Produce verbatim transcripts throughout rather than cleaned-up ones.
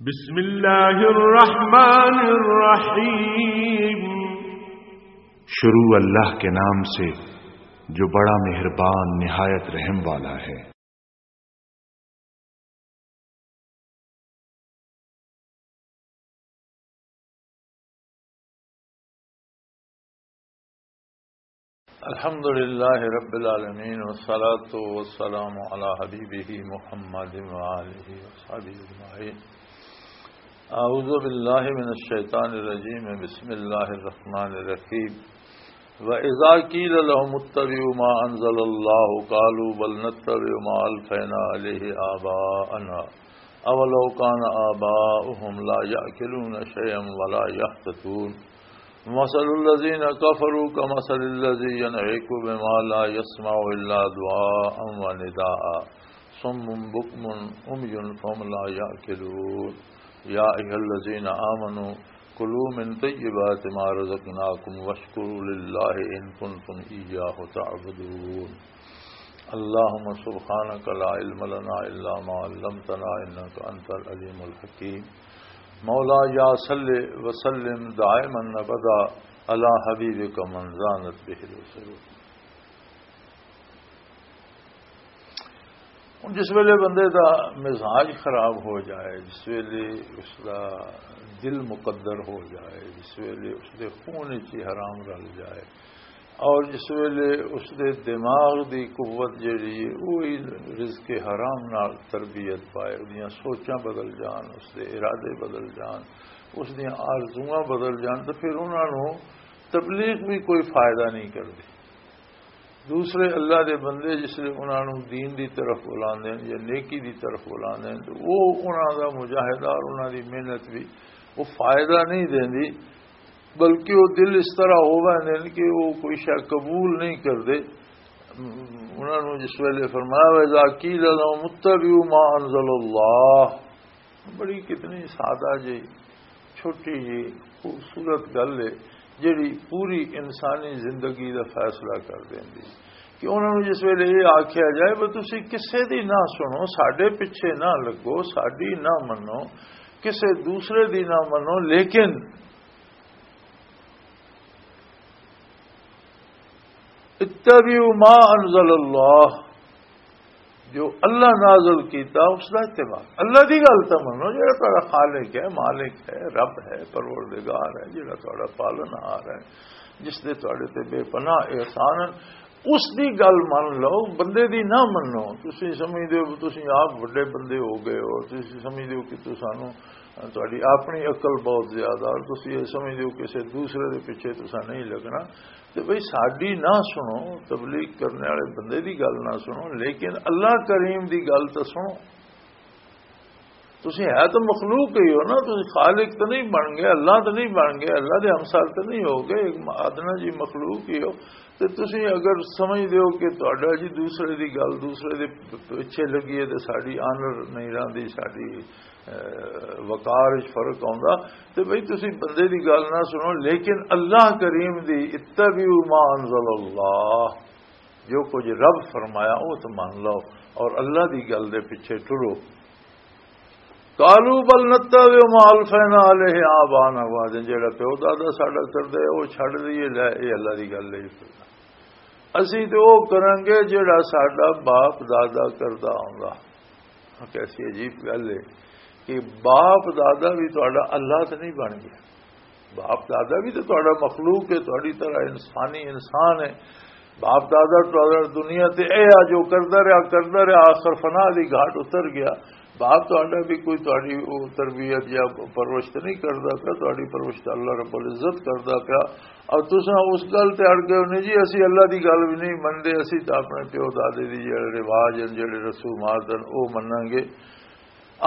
بسم اللہ الرحمن الرحیم۔ شروع اللہ کے نام سے جو بڑا مہربان نہایت رحم والا ہے۔ الحمد لله رب العالمين، والصلاة والسلام على حبيبه محمد وآله وصحبه أجمعين. أعوذ بالله من الشيطان الرجيم. بسم الله الرحمن الرحيم. وإذا قيل لهم اتبعوا ما أنزل الله قالوا بل نتبع ما ألفينا عليه آباءنا أولو كان آباؤهم لا يعقلون شيئا ولا يهتدون. مثل الذين كفروا كمثل الذي ينعق بما لا يسمع إلا دعاء ونداء صم بكم عمي فهم لا يعقلون. يا أيها الذين آمنوا كلوا من طيبات ما رزقناكم واشكروا لله إن كنتم إياه تعبدون. اللهم سبحانك لا علم لنا إلا ما علمتنا إنك أنت العليم الحكيم. مولاي صل وسلم دائما أبدا على حبيبك من زانت به العصور. ہن جس ویلے بندے دا مزاج خراب ہو جائے، جس ویلے اس دا دل مقدر ہو جائے، جس ویلے اس دے خون وچ ہی حرام رل جائے، اور جس ویلے اس دے دماغ دی قوت جڑی ہے، وہی رزق حرام نال تربیت پائے، اس دیاں سوچاں بدل جان، اس دے ارادے بدل جان، اس دیاں آرزوواں بدل جان، تو پھر انہاں نوں تبلیغ بھی کوئی فائدہ نہیں کردی۔ دوسرے اللہ دے بندے جس لے انہاں نوں دین دی طرف بلاندے ہیں یا نیکی دی طرف بلاندے ہیں، تو وہ انہاں دا مجاہدہ اور انہاں دی محنت بھی وہ فائدہ نہیں دیندی، بلکہ وہ دل اس طرح ہو ویندے نے کہ وہ کوئی شے قبول نہیں کردے۔ انہاں نوں جس ویلے فرمایا، وَإِذَا قِيلَ لَهُمُ اتَّبِعُوا مَا أَنزَلَ اللَّهُ، بڑی کتنی سادہ جی، چھوٹی جی، خوبصورت گل ہے، جڑی پوری انسانی زندگی دا فیصلہ کر دیندی۔ کہ انہاں نوں جس ویلے یہ آکھیا جائے، "بس تسی کسے دی نہ سنو، ساڈے پیچھے نہ لگو، ساڈی نہ منو، کسے دوسرے دی نہ منو، لیکن اتبعوا ما انزل اللہ"، جو اللہ نازل کیتا، اس دا اتباع۔ اللہ دی گل تاں منو، جڑا تہاڈا خالق ہے، مالک ہے، رب ہے، پروردگار ہے، جڑا تہاڈا پالن ہار ہے، جس دے تہاڈے تے بے پناہ احسان ہیں، اس دی گل من لو، بندے دی نہ منو۔ تسی سمجھدے ہو، تسی آپ وڈے بندے ہو گئے ہو، تسی سمجھدے ہو کہ تسانوں تہاڈی اپنی عقل بہت زیادہ، اور تسی یہ سمجھدے ہو کسے دوسرے دے پیچھے تساں نہیں لگنا۔ تے بھئی، ساڈی نہ سنو، تبلیغ کرنے والے بندے دی گل نہ سنو، لیکن اللہ کریم دی گل تے سنو۔ تسی ہے تو مخلوق ہی ہو نا، تسی خالق تو نہیں بن گئے، اللہ تو نہیں بن گئے، اللہ دے ہمسر تو نہیں ہو گئے، ایک ادنا جی مخلوق ہی ہو۔ تے تسی اگر سمجھدے ہو کہ تہاڈا جی دوسرے دی گل، دوسرے دے پیچھے لگی ہے، تے ساڈی آنر نہیں رہندی، ساڈی، اے، وقار وچ فرق آوندا، تے بھئی تسی بندے دی گل نہ سنو، لیکن اللہ کریم دی، اتبعوا ما انزل اللہ، جو کچھ رب فرمایا وہ تو مان لو، اور اللہ دی گل دے پیچھے ٹرو۔ قالوا بل نتبع ما الفینا علیہ آبانا، وہ آدھے جڑا پیو دادا ساڈا کردا ہے، وہ چھڈ دئیے، لے، اے اللہ دی گل نہیں کردا۔ اسی تے وہ کریں گے جڑا ساڈا باپ دادا کردا آوندا۔ کیسی عجیب گل ہے کہ باپ دادا بھی تہاڈا اللہ تے نہیں بن گیا۔ باپ دادا بھی تے تہاڈا مخلوق ہے، تہاڈی طرح انسانی انسان ہے۔ باپ دادا تہاڈا دنیا تے اے آ جو کردا رہیا، کردا رہیا، آخر فنا دی گھاٹ اتر گیا۔ باپ تہاڈا بھی کوئی تہاڈی او تربیت یا پرورش تے نہیں کردا پیا، تہاڈی پرورش تے اللہ رب العزت کردا پیا۔ اور تساں اس گل تے اڑ گئے ہو، "نہیں جی، اسی اللہ دی گل بھی نہیں مندے، اسی تاں اپنے پیو دادے دی جڑے رواج ہیں، جڑے رسومات ہیں، او مناں گے۔"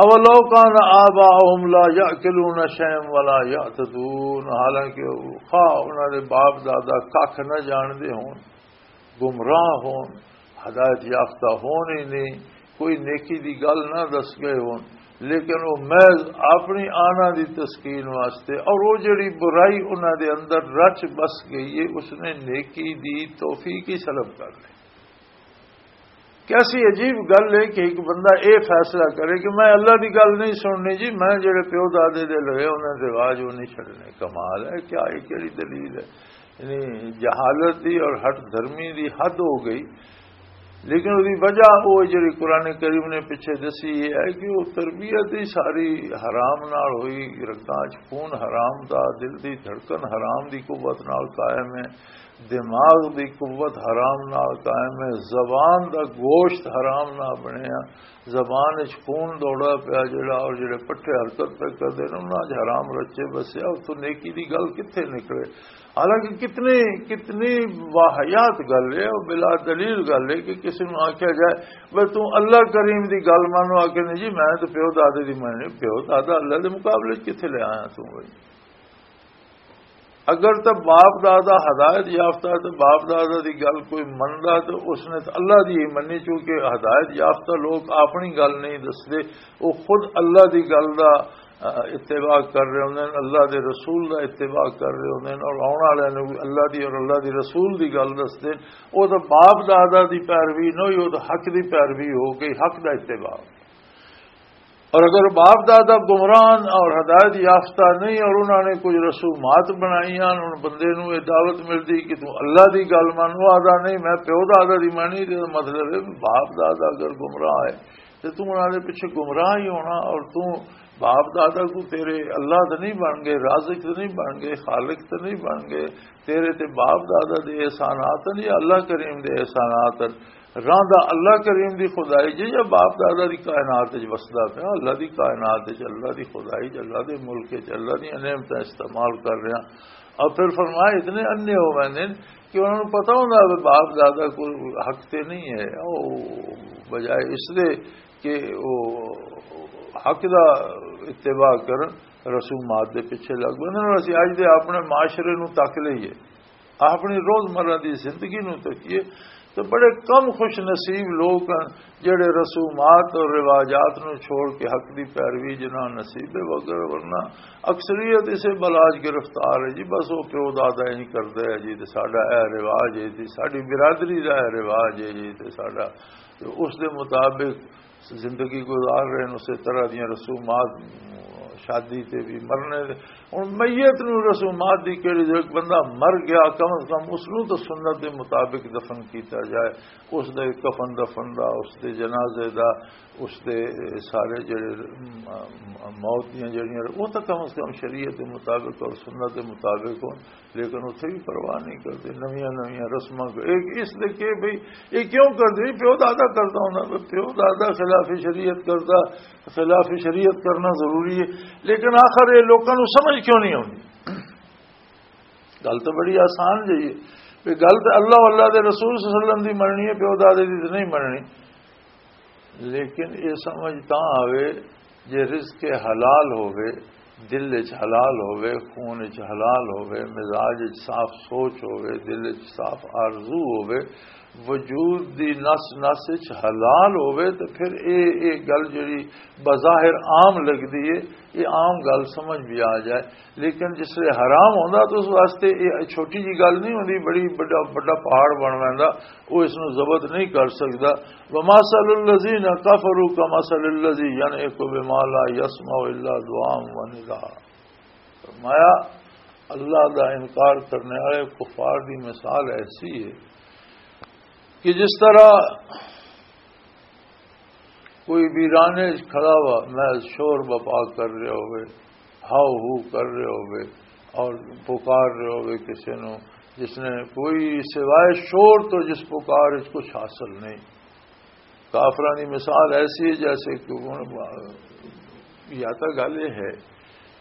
اولو کان آباؤہم لا یعقلون شیئا ولا یعتدون، حالانکہ خواہ انہاں دے باپ دادا ککھ نہ جاندے ہون، گمراہ ہون، ہدایت یافتہ ہون ہی نہیں، کوئی نیکی دی گل نہ دس گئے ہون، لیکن وہ محض اپنی آنا دی تسکین واسطے، اور وہ جڑی برائی انہاں دے اندر رچ بس گئی ہے، اس نے نیکی دی توفیق ہی سلب کر لی۔ کیسی عجیب گل ہے کہ ایک بندہ اے فیصلہ کرے کہ میں اللہ دی گل نہیں سننی جی، میں جڑے پیو دادے دے لگے انہاں دے رواج وہ نہیں چھڈنے۔ کمال ہے، کیا یہ کیڑی دلیل ہے؟ یعنی جہالت دی اور ہٹ دھرمی دی حد ہو گئی۔ لیکن اس دی وجہ وہ جڑی قرآن کریم نے پیچھے دسی یہ ہے کہ وہ تربیت ہی ساری حرام نال ہوئی، رگاں چ خون حرام دا، دل دی دھڑکن حرام دی قوت نال قائم ہے، دماغ دی قوت حرام نال قائم ہے، زبان دا گوشت حرام نال بنیا، زبان وچ خون دوڑا پیا جڑا، اور جڑے پٹھے حرکت پہ کردے نے انہاں وچ حرام رچے بسیا، اتوں نیکی دی گل کتھے نکلے؟ حالانکہ کتنی، کتنی واحیات گل ہے اور بلا دلیل گل ہے کہ کسی نوں آکھیا جائے، "بھئی توں اللہ کریم دی گل مانو؟" آکھے، "نہیں جی، میں تو پیو دادے دی ماننی۔" پیو دادا اللہ دے مقابلے وچ کتھے لے آیا توں بھائی؟ اگر تو باپ دادا ہدایت یافتہ ہے تو باپ دادا دی گل کوئی مندا تو اس نے تو اللہ دی ہی مننی، چونکہ ہدایت یافتہ لوگ اپنی گل نہیں دسدے، وہ خود اللہ دی گل دا اتباع کر رہے ہوندے نے، اللہ دے رسول دا اتباع کر رہے ہوندے نے، اور آن والے نوں وی اللہ دی اور اللہ دے رسول دی گل دسدے نے۔ او تاں باپ دادا دی پیروی نہ ہوئی، او تاں حق دی پیروی ہو گئی، حق دا اتباع۔ اور اگر باپ دادا گمراہ ہن اور ہدایت یافتہ نہیں اور انہاں نے کچھ رسومات بنائیاں، ان بندے نوں یہ دعوت ملدی کہ توں اللہ دی گل من، وہ آدا نہیں، میں پیو دادا دی مانی، تے مطلب ہے باپ دادا اگر گمراہ ہے تے توں انہاں دے پیچھے گمراہ ہی ہونا۔ اور توں باپ دادا کو، تیرے اللہ تے نہیں بن گئے، رازق تے نہیں بن گئے، خالق تے نہیں بن گئے، تیرے تے باپ دادا دے احسانات ہیں یا اللہ کریم دے احسانات ہیں؟ راندا اللہ کریم دی خدائی جے یا باپ دادا دی کائنات وچ وسدا پیا؟ اللہ دی کائنات وچ، اللہ دی خدائی وچ، اللہ دے ملک وچ، اللہ دی نعمتاں استعمال کر رہا۔ اور پھر فرمایا، اتنے انے ہو ویندے نے کہ انہاں نوں پتہ ہوندا کہ باپ دادا کو حق تے نہیں ہے، او بجائے اس دے کہ وہ حق دا اتباع کرن، رسومات دے پیچھے لگ پے۔ انہاں نوں اسی اج دے اپنے معاشرے نوں تک لئیے، اپنی روزمرہ دی زندگی نوں تکیے، تو بڑے کم خوش نصیب لوگ ہیں جڑے رسومات اور رواجات نوں چھوڑ کے حق دی پیروی جنہاں نصیب ہے، وگر ورنہ اکثریت اسے بلاج گرفتار ہے جی، بس وہ پیو دادا ہی کردا ہے جی، تے ساڈا اے رواج ہے جی، ساڈی برادری دا اے رواج ہے جی، تے ساڈا، تے اس دے مطابق زندگی گزار رہے ہیں، اسی طرح دیاں رسومات، شادی تے بھی، مرنے دے۔ ہن میت نوں رسومات دی کہڑی ضرورت؟ بندہ مر گیا، کم از کم اس نوں تو سنت دے مطابق دفن کیتا جائے، اس دے کفن دفن دا، اس دے جنازے دا، اس دے سارے جڑے، م-، م-، موت دیاں جڑیاں، وہ تو کم از کم شریعت دے مطابق اور سنت دے مطابق ہون۔ لیکن اتھے بھی پرواہ نہیں کردے، نویاں نویاں رسماں کو۔ ایک اس دے کہ بھئی، یہ کیوں کردے؟ پیو دادا کردا ہوندا، پیو دادا خلاف شریعت کردا، خلاف شریعت کرنا ضروری ہے۔ لیکن آخر یہ لوکاں نوں سمجھ کیوں نہیں آوندی؟ گل تو بڑی آسان جہی ہے، بھی گل تو اللہ، اللہ دے رسول صلی اللہ علیہ وسلم دی مننی ہے، پیو دادے دی تو نہیں مننی۔ لیکن یہ سمجھ تاں آوے جے رزق حلال ہووے، دل وچ حلال ہووے، خون وچ حلال ہووے، مزاج وچ صاف سوچ ہووے، دل وچ صاف آرزو ہووے، وجود دی نس نس وچ حلال ہووے، تے پھر اے، اے گل جڑی بظاہر عام لگدی ہے، یہ عام گل سمجھ بھی آ جائے۔ لیکن جس لے حرام ہوندا تو اس واسطے یہ چھوٹی جی گل نہیں ہوندی، بڑی بڑا، بڑا پہاڑ بن ویندا، وہ اس نوں ضبط نہیں کر سکدا۔ ومثل الذین کفروا کمثل الذی ینعق بما لا یسمع الا دعاء و نداء۔ فرمایا، اللہ دا انکار کرنے والے کفار دی مثال ایسی ہے کہ جس طرح کوئی ویرانے وچ کھڑا ہوا، محض شور بپا کر رہے ہوئے، ہاؤ ہو کر رہے ہوئے اور پکار رہے ہوئے کسی نو، جس نے کوئی سوائے شور تو جس پکار وچ کچھ حاصل نہیں۔ کافراں دی مثال ایسی ہے جیسے کہ ہن یا تاں گل یہ ہے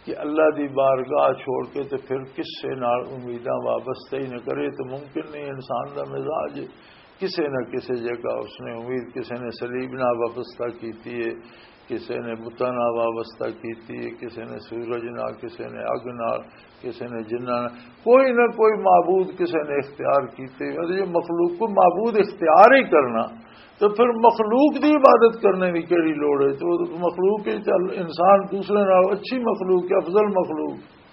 کہ اللہ دی بارگاہ چھوڑ کے تے پھر کسے نال امیداں وابستہ ہی نہ کرے، تو ممکن نہیں۔ انسان دا مزاج ہے، کسے نہ کسے جگہ اس نے امید، کسے نے صلیب نال وابستہ کیتی ہے، کسے نے بتاں نال وابستہ کیتی ہے، کسے نے سورج نال، کسے نے اگ نال، کسے نے جناں نال، کوئی نہ کوئی معبود کسے نے اختیار کیتے۔ اگر یہ مخلوق کو معبود اختیار ہی کرنا، تو پھر مخلوق دی عبادت کرنے کی کیڑی لوڑ ہے؟ تو مخلوق کے چل، انسان دوسرے نال اچھی مخلوق ہے، افضل مخلوق۔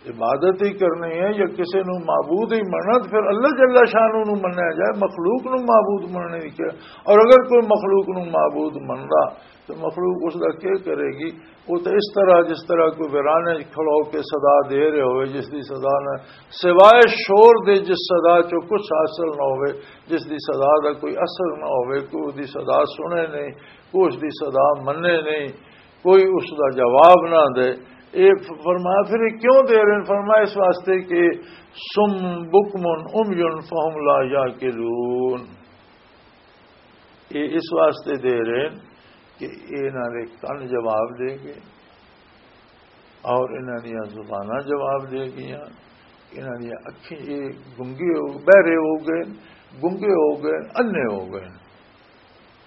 عبادت ہی کرنی ہے یا کسی نو معبود ہی مننا، تو پھر اللہ جل شانہ نو منیا جائے، مخلوق نو معبود مننے کی کیا؟ اور اگر کوئی مخلوق نو معبود مندا، تو مخلوق اس دا کیا کرے گی؟ وہ تو اس طرح، جس طرح کوئی ویرانے کھڑا ہو کے صدا دے رہے ہوئے، جس دی صدا نہ، سوائے شور دے، جس صدا چوں کچھ حاصل نہ ہوئے، جس دی صدا دا کوئی اثر نہ ہوئے، کوئی اس دی صدا سنے نہیں، کوئی اس دی صدا منے نہیں، کوئی اس دا جواب نہ دے۔ یہ فرمایا، پھر یہ کیوں دے رہے ہیں؟ فرمایا، اس واسطے کہ سم بکمن امیون فہم لا یعقلون۔ یہ اس واسطے دے رہے ہیں کہ یہ انہاں دے کن جواب دے گئے اور انہاں دیاں زباناں جواب دے گئیاں، انہاں دیاں اکھیں، یہ گنگے ہو، بہرے ہو گئے، گنگے ہو گئے، انے ہو گئے،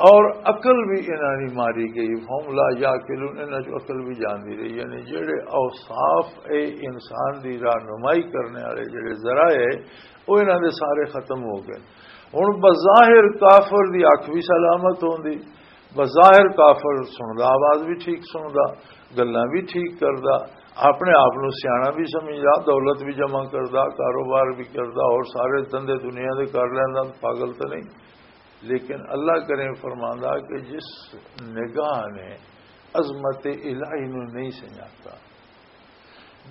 اور عقل بھی انہاں دی ماری گئی۔ فہم لا یعقلون، انہاں چوں عقل بھی جاندی رہی۔ یعنی جڑے اوصاف اے انسان دی رہنمائی کرنے والے جڑے ذرائع اے، وہ انہاں دے سارے ختم ہو گئے۔ ہن بظاہر کافر دی اکھ بھی سلامت ہوندی، بظاہر کافر سندا، آواز بھی ٹھیک سندا، گلاں بھی ٹھیک کردا، اپنے آپ نو سیاݨا بھی سمجھدا، دولت بھی جمع کردا، کاروبار بھی کردا، اور سارے دھندے دنیا دے کر لیندا، پاگل تو نہیں۔ لیکن اللہ کریم فرماندا کہ جس نگاہ نے عظمت الہی نو نہیں سنجھاتا،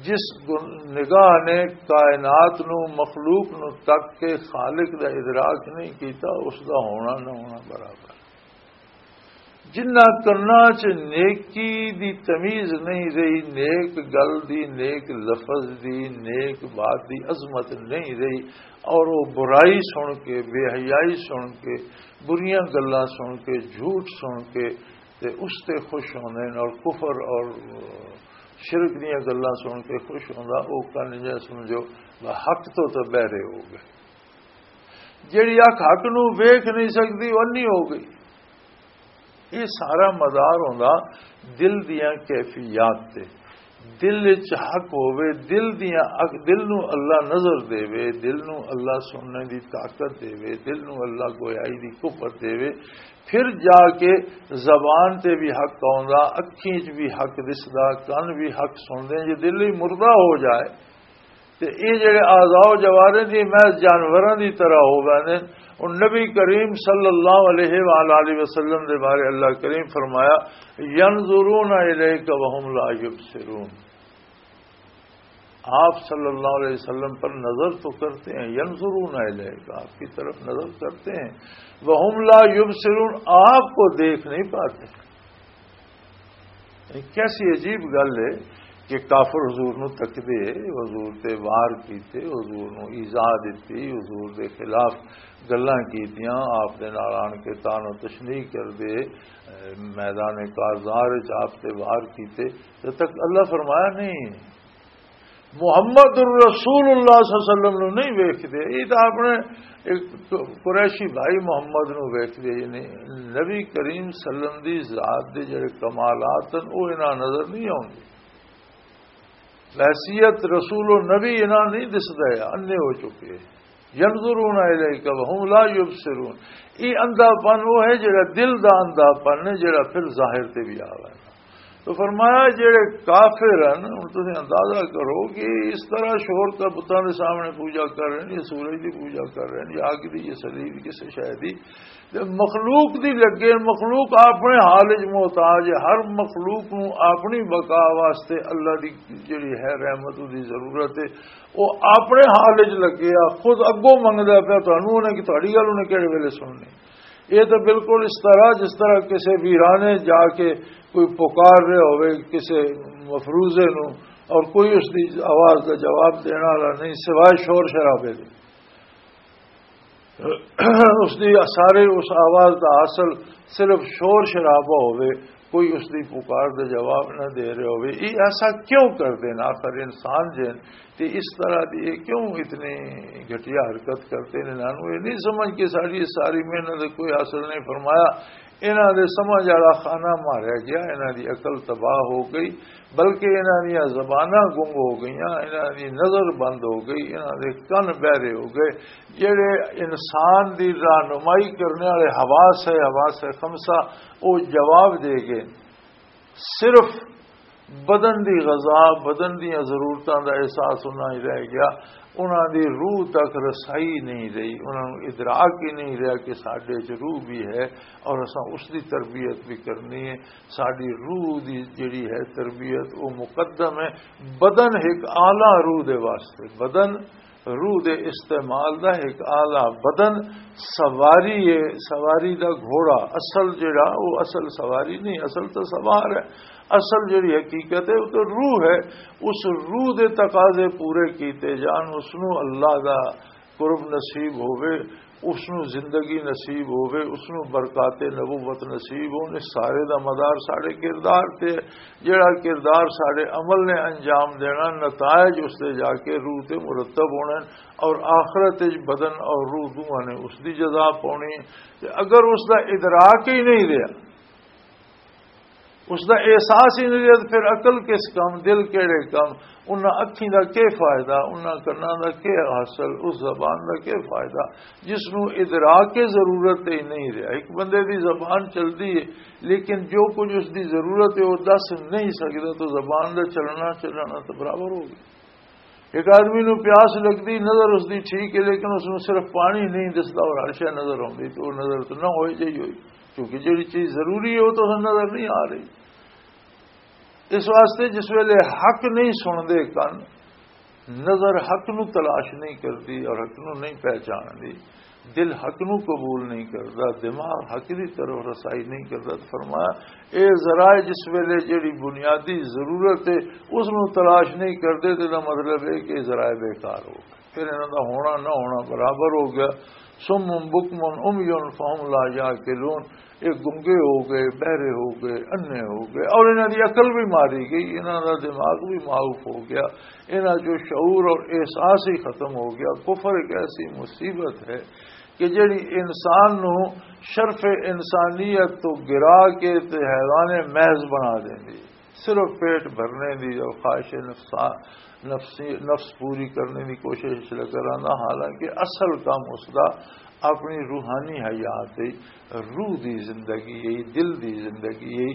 جس گن-، نگاہ نے کائنات نو، مخلوق نو تک کے خالق دا ادراک نہیں کیتا، اس دا ہونا نہ ہونا برابر۔ جنہ کناں چ نیکی دی تمیز نہیں رہی، نیک گل دی، نیک لفظ دی، نیک بات دی عظمت نہیں رہی، اور وہ برائی سن کے، بے حیائی سن کے، بریاں گلاں سن کے، جھوٹ سن کے، تے اس تے خوش ہوندے نے، اور کفر اور شرک دیاں گلاں سن کے خوش ہوندا، او کن جے سمجھو حق تو تے بہرے ہو گئے۔ جیڑی اکھ حق نو ویکھ نہیں سکدی، او انی ہو گئی۔ یہ سارا مدار ہوندا دل دیاں کیفیات تے۔ دل وچ حق ہووے، دل دیاں اکھ، دل نو اللہ نظر دے، دل نو اللہ سننے دی طاقت دے، دل نو اللہ گویائی دی قوت دے، پھر جا کے زبان تے بھی حق آوندا، اکھیں وچ بھی حق دسدا، کن بھی حق سندا۔ جے دل ہی مردہ ہو جائے تے اے جڑے اعضاء و جوارح دی محض جانوراں دی طرح ہو ویندے۔ اور نبی کریم صلی اللہ علیہ وآلہ وسلم دے بارے اللہ کریم فرمایا، "ینظرون الیک وهم لا یبصرون۔" آپ صلی اللہ علیہ وسلم پر نظر تو کرتے ہیں، ینظرون الیک، آپ کی طرف نظر کرتے ہیں، وهم لا یبصرون، آپ کو دیکھ نہیں پاتے۔ کیسی عجیب گل ہے کہ کافر حضور نو تکدے، حضور تے وار کیتے، حضور نو ایذا دتی، حضور دے خلاف گلاں کیتیاں، آپ دے نال آن کے تان و تشنیع کردے، اے، میدان کارزار وچ آپ تے وار کیتے۔ جب تک اللہ فرمایا نہیں، محمد الرسول اللہ صلی اللہ علیہ وسلم نو نہیں ویکھدے، یہ تو اپنے ایک قریشی بھائی محمد نو ویکھدے، یعنی نبی کریم صلی اللہ علیہ وسلم دی ذات دے جڑے کمالات ہیں، وہ انہاں نظر نہیں آوندے۔ بحیثیت رسول و نبی انہاں نہیں دسدا ہے، اندھے ہو چکے۔ ینظرون الیک وهم لا یبصرون۔ یہ اندھا پن وہ ہے جڑا دل دا اندھا پن ہے، جڑا پھر ظاہر تے بھی آ ویندا۔ تو فرمایا، جڑے کافر ہیں، ہن تسیں اندازہ کرو کہ اس طرح شور کا بتاں دے سامنے پوجا کر رہے ہیں، یا سورج دی پوجا کر رہے ہیں، یا اگ دی، یا صلیب، کسے شے دی، تے مخلوق دی لگے، مخلوق اپنے حال وچ محتاج ہے۔ ہر مخلوق نو اپنی بقا واسطے اللہ دی جڑی ہے رحمت، دی ضرورت ہے، وہ اپنے حال وچ لگے آ، خود اگوں منگدا پیا تانوں، انہیں کہ تہاڈی گل انہیں کہڑے ویلے سننی۔ یہ تو بالکل اس طرح، جس طرح کسی ویرانے جا کے کوئی پکار رہے ہوئے کسی مفروضے نو، اور کوئی اس دی آواز دا جواب دینے والا نہیں سوائے شور شرابے دے۔ اس دی سارے، اس آواز دا اصل صرف شور شرابہ ہوئے، کوئی اس دی پکار دا جواب نہ دے رہے ہوئے۔ یہ ایسا کیوں کر دین؟ آخر انسان جن تے اس طرح دی یہ کیوں اتنی گھٹیا حرکت کرتے ہیں؟ انہاں نوں یہ نہیں سمجھ کہ ساری ساری محنت دا کوئی حاصل نہیں۔ فرمایا، انہاں دے سمجھ والا خانہ ماریا گیا، انہاں دی عقل تباہ ہو گئی، بلکہ انہاں دیاں زباناں گنگ ہو گئیاں، انہاں دی نظر بند ہو گئی، انہاں دے کن بہرے ہو گئے۔ جڑے انسان دی رہنمائی کرنے والے حواس ہے، حواس خمسہ، وہ جواب دے گئے۔ صرف بدن دی غذا، بدن دیاں ضرورتاں دا احساس انہاں ہی رہ گیا۔ انہاں دی روح تک رسائی نہیں رہی، انہاں نوں ادراک ہی نہیں رہیا کہ ساڈے چ روح بھی ہے اور اساں اس دی تربیت بھی کرنی ہے۔ ساڈی روح دی جڑی ہے تربیت، وہ مقدم ہے۔ بدن ایک اعلیٰ روح دے واسطے، بدن روح دے استعمال دا ایک آلہ۔ بدن سواری ہے، سواری دا گھوڑا۔ اصل جڑا، وہ اصل سواری نہیں، اصل تو سوار ہے۔ اصل جڑی حقیقت ہے، وہ تو روح ہے۔ اس روح دے تقاضے پورے کیتے جان، اس نو اللہ دا قرب نصیب ہووے، اس نو زندگی نصیب ہووے، اس نو برکات نبوت نصیب ہون۔ اس سارے دا مدار ساڈے کردار تے ہے۔ جڑا کردار ساڈے عمل نے انجام دینا، نتائج اس دے جا کے روح تے مرتب ہونے، اور آخرت وچ بدن اور روح دوواں نے اس دی جزا پاونی ہے۔ تے اگر اس دا ادراک ہی نہیں رہیا، اس دا احساس ہی نہیں رہیا، تے پھر عقل کس کم، دل کیڑے کم، انہاں اکھیں دا کی فائدہ، انہاں کناں دا کی حاصل، اس زبان دا کی فائدہ، جس نو ادراک ضرورت ہی نہیں رہیا۔ ایک بندے دی زبان چلدی ہے، لیکن جو کچھ اس دی ضرورت ہے، وہ دس نہیں سکدا، تو زبان دا چلنا، چلنا تو برابر ہو گیا۔ ایک آدمی نو پیاس لگدی، نظر اس دی ٹھیک ہے، لیکن اس نو صرف پانی نہیں دسدا اور ہر شے نظر آوندی، تو وہ نظر تو نہ ہوئی جائی ہوئی، کیونکہ جڑی چیز ضروری ہے، وہ تو نظر نہیں آ رہی۔ اس واسطے جس ویلے حق نہیں سندے کن، نظر حق نو تلاش نہیں کردی اور حق نو نہیں پہچاندی، دل حق نو قبول نہیں کردا، دماغ حق دی طرف رسائی نہیں کردا، تو فرمایا، اے ذرائع جس ویلے جڑی بنیادی ضرورت ہے، اس نو تلاش نہیں کردے، تے دا مطلب ہے کہ ذرائع بیکار ہو گئے، پھر انہاں دا ہونا نہ ہونا برابر ہو گیا۔ صم بکم عمی فہم لا یعقلون، یہ گنگے ہو گئے، بہرے ہو گئے، انے ہو گئے، اور انہاں دی عقل بھی ماری گئی، انہاں دا دماغ بھی معاف ہو گیا، انہاں جو شعور اور احساس ہی ختم ہو گیا۔ کفر ایک ایسی مصیبت ہے کہ جڑی انسان نو شرف انسانیت تو گرا کے تے حیوان محض بنا دیندی ہے۔ صرف پیٹ بھرنے دی اور خواہش نفسا-، نفسی، نفس پوری کرنے دی کوشش لگا رہنا، حالانکہ اصل کام اس دا اپنی روحانی حیات ہے، روح دی زندگی ہے، دل دی زندگی ہے،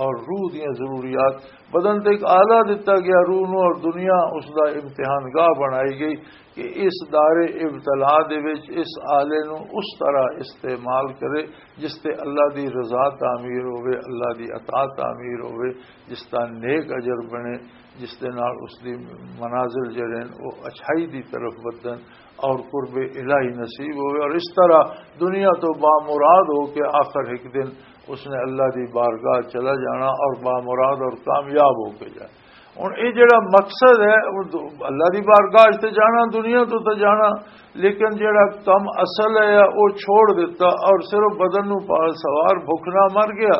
اور روح دیاں ضروریات۔ بدن تے ایک آلہ دتا گیا روح نو، اور دنیا اس دا امتحان گاہ بنائی گئی کہ اس دار ابتلا دے وچ اس آلے نو اس طرح استعمال کرے جس تے اللہ دی رضا تعمیر ہوے، اللہ دی عطا تعمیر ہوے، جس دا نیک اجر بنے، جس دے نال اس دی منازل جڑے ہن، او اچھائی دی طرف ودن اور قرب الہی نصیب ہوے، اور اس طرح دنیا تو بامراد ہو کے آخر ایک دن اس نے اللہ دی بارگاہ چلا جانا اور بامراد اور کامیاب ہو کے جانا۔ ہن اے جڑا مقصد ہے، او دو-، اللہ دی بارگاہ تے جانا، دنیا تو تے جانا، لیکن جڑا کم اصل ہے، او چھوڑ دیتا اور صرف بدن نو پا سوار بھوک نہ مر گیا،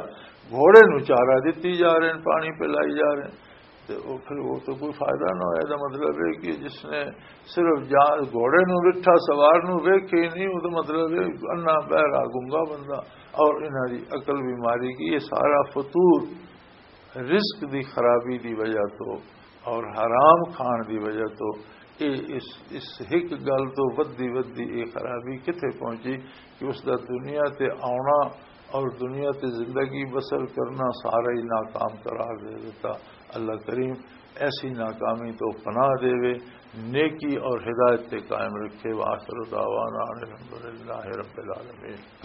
گھوڑے نو چارہ دتی جا رہے ہیں، پانی پلائی جا رہے ہیں۔ تے او پھر وہ تو کوئی فائدہ نہ ہویا۔ دا مطلب ہے کہ جس نے صرف جا-، گھوڑے نو ویٹھا، سوار نو ویکھے ہی نہیں، وہ تو مطلب ہے انا بہرا گنگا بندہ، اور انہاں دی عقل بیماری کی، یہ سارا فطور رزق دی خرابی دی وجہ تو اور حرام کھان دی وجہ تو، اے اس، اس ایک گل تو ودی ودی اے خرابی کتھے پہنچی کہ اس دا دنیا تے آنا اور دنیا تے زندگی بسر کرنا سارا ہی ناکام قرار دے دیتا۔ اللہ کریم ایسی ناکامی تو پناہ دے، نیکی اور ہدایت تے قائم رکھے۔ وآخر دعوانا ان الحمدللہ رب العالمین۔